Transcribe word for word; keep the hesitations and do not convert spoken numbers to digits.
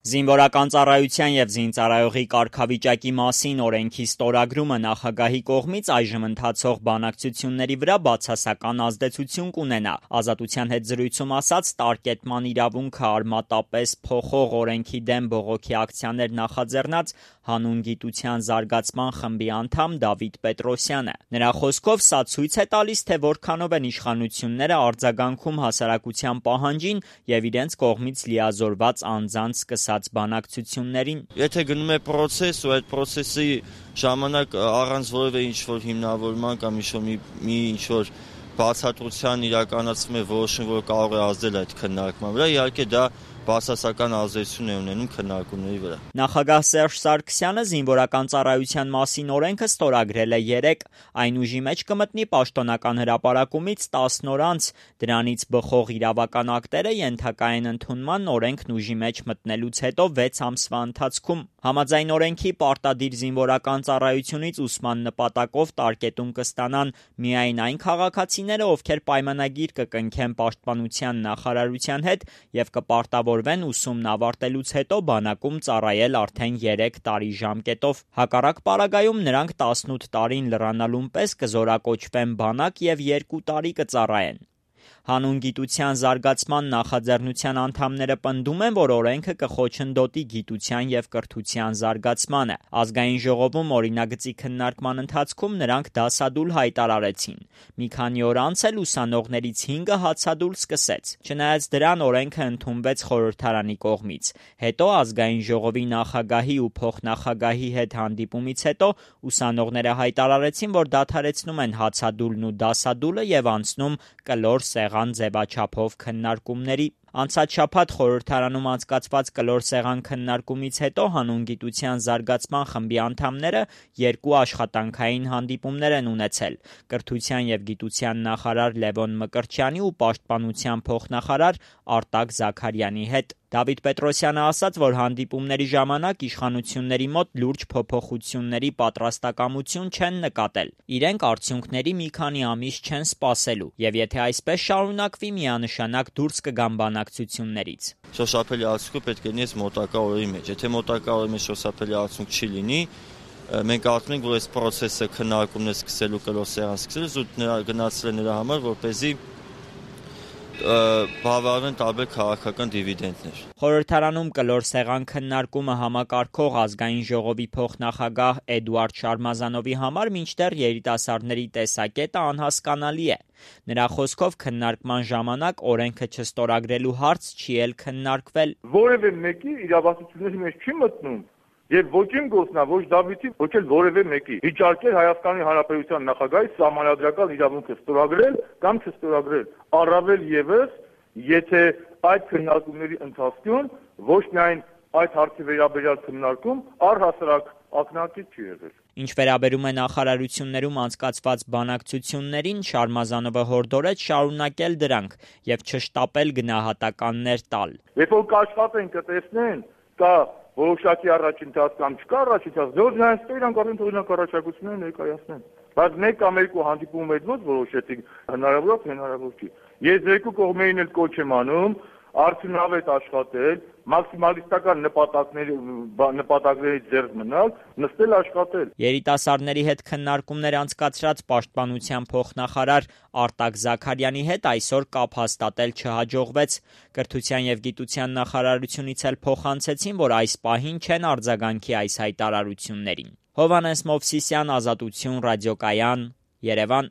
Զինվորական ծառայության և զինծառայողի կարգավիճակի մասին օրենքի ստորագրումը նախագահի կողմից այժմ ընթացող բանակցությունների վրա բացասական ազդեցություն կունենա, Ազատության հետ զրույցում ասաց տարկետման իրավունքը արմատապես փոխող օրենքի դեմ բողոքի ակցիաներ նախաձեռնած Հանուն գիտության զարգացման խմբի անդամ Դավիթ Պետրոսյանը: Նրա խոսքով սա ցույց է տալիս, թե որքանով են իշխանությունները արձագանքում հասարակության պահանջին և իրենց կողմից լիազորված անձանց սկսած բանակցություններին: Եթե գնում է պրոցես ու այդ պրոցեսի ժամանակ առանց որևէ ինչ-որ հիմնավորման կամ մի ինչ-որ բացատրության իրականացվում է որոշում, որ կարող է ազդել այդ քննարկման վրա, իհարկե դա բացասական ազդեցություն է ունենում քննարկումների վրա: Նախագահ Սերժ Սարգսյանը զինվորական ծառայության մասին օրենքը ստորագրել է երեկ: Այն ուժի մեջ կմտնի պաշտոնական հրապարակումից տասն օր անց: Դրանից բխող իրավական ակտերը ենթակա են ընդունման օրենքն ուժի մեջ մտնելուց հետո վեց ամսվա ընթացքում: Համաձայն օրենքի պարտադիր զինվորական ծառայությունից ուսման նպատակով տարկետում կստանան միայն այն քաղաքացիները, ովքեր պայմանագիր կկնքեն Պաշտպանության նախարարության հետ և կպարտավորվեն ուսումն ավարտելուց հետո բանակում ծառայել արդեն երեք տարի ժամկետով: Հակառակ պարագայում նրանք տասնութ տարին լռանալուն պես կզորակոչվեն բանակ և երկու տարի կծառայեն: Հանուն գիտության զարգացման նախաձեռնության անդամները պնդում են, որ օրենքը կխոչընդոտի գիտության և կրթության զարգացմանը: Ազգային ժողովում օրինագծի քննարկման ընթացքում նրանք դասադուլ հայտարարեցին: Մի քանի օր անց էլ ուսանողներից հինգը հացադուլ սկսեց: Չնայած դրան օրենքը ընդունվեց խորհրդարանի կողմից: Հետո Ազգային ժողովի նախագահի ու փոխնախագահի հետ հանդիպումից հետո ուսանողները հայտարարեցին, որ դադարեցնում են հացադուլն ու դասադուլը և անցնում կլոր սեղան ձևաչափով քննարկումների: Անցած շաբաթ խորհրդարանում անցկացված կլոր սեղան քննարկումից հետո Հանուն գիտության զարգացման խմբի անդամները երկու աշխատանքային հանդիպումներ են ունեցել՝ կրթության և գիտության նախարար Լևոն Մկրտչյանի ու պաշտպանության փոխնախարար Արտակ Զաքարյանի հետ: Դավիթ Պետրոսյանը ասաց, որ հանդիպումների ժամանակ իշխանությունների մոտ լուրջ փոփոխությունների պատրաստակամություն չեն նկատել: Իրենք արդյունքների մի քանի ամիս չեն սպասելու և եթե այսպես շարունակվի միանշանակ դուրս կգան բանակցություններից: Շոշափելի արդյունքը պետք է լինի այս մոտակա օրերի մեջ: Եթե մոտակա օրերի մեջ շոշափելի արդյունք չի լինի, մենք կարծում ենք, որ այս պրոցեսը քննարկումներ սկսելու, կլոր սեղան սկսելու զուտ գնացել է նրա համար, որպեսզի բավարարվեն տարբեր քաղաքական դիվիդենտներ: Խորհրդարանում կլոր սեղան քննարկումը համակարգող Ազգային ժողովի փոխնախագահ Էդուարդ Շարմազանովի համար մինչդեռ երիտասարդների տեսակետը անհասկանալի է: Նրա խոսքով քննարկման ժամանակ օրենքը չստորագրելու հարց չի էլ քննարկվել: Որևէ մեկի իրավասությունների մեջ չի մտնում և ոչ իմ գործն է, ոչ Դավիթի, ոչ էլ որևէ մեկի վիճարկել Հայաստանի Հանրապետության նախագահի սահմանադրական իրավունքը ստորագրել կամ չստորագրել, առավել ևս եթե այդ քննարկումների ընթացքում ոչ միայն այդ հարցի վերաբերյալ քննարկում առհասարակ ակնհայտ չի եղել: Ինչ վերաբերում է նախարարություններում անցկացված բանակցություններին, Շարմազանովը հորդորեց շարունակել դրանք և չշտապել գնահատականներ տալ: Երբ որ կաշխատեն, կտեսնեն կա որոշակի առաջընթաց կամ չկա առաջընթաց, դե նրանց թող իրանք արդեն առաջարկություններ ներկայացնեն: Բայց մեկ կամ երկու հանդիպումից հետո ո՞նց որոշեցիք հնարավոր է, թե հնարավոր չի: Ես երկու կողմերին էլ կոչ եմ անում արդյունավետ աշխատել, մաքսիմալիստական նպատակներից ձեռք մնալ, նստել աշխատել: Երիտասարդների հետ քննարկումներ անցկացրած պաշտպանության փոխնախարար Արտակ Զաքարյանի հետ այսօր կապ հաստատել չհաջողվեց: Կրթության և գիտության նախարարությունից էլ փոխանցեցին, որ այս պահին չեն արձագանքի այս հայտարարություններին: Հովհաննես Մովսիսյան, Ազատություն ռադիոկայան, Երևան: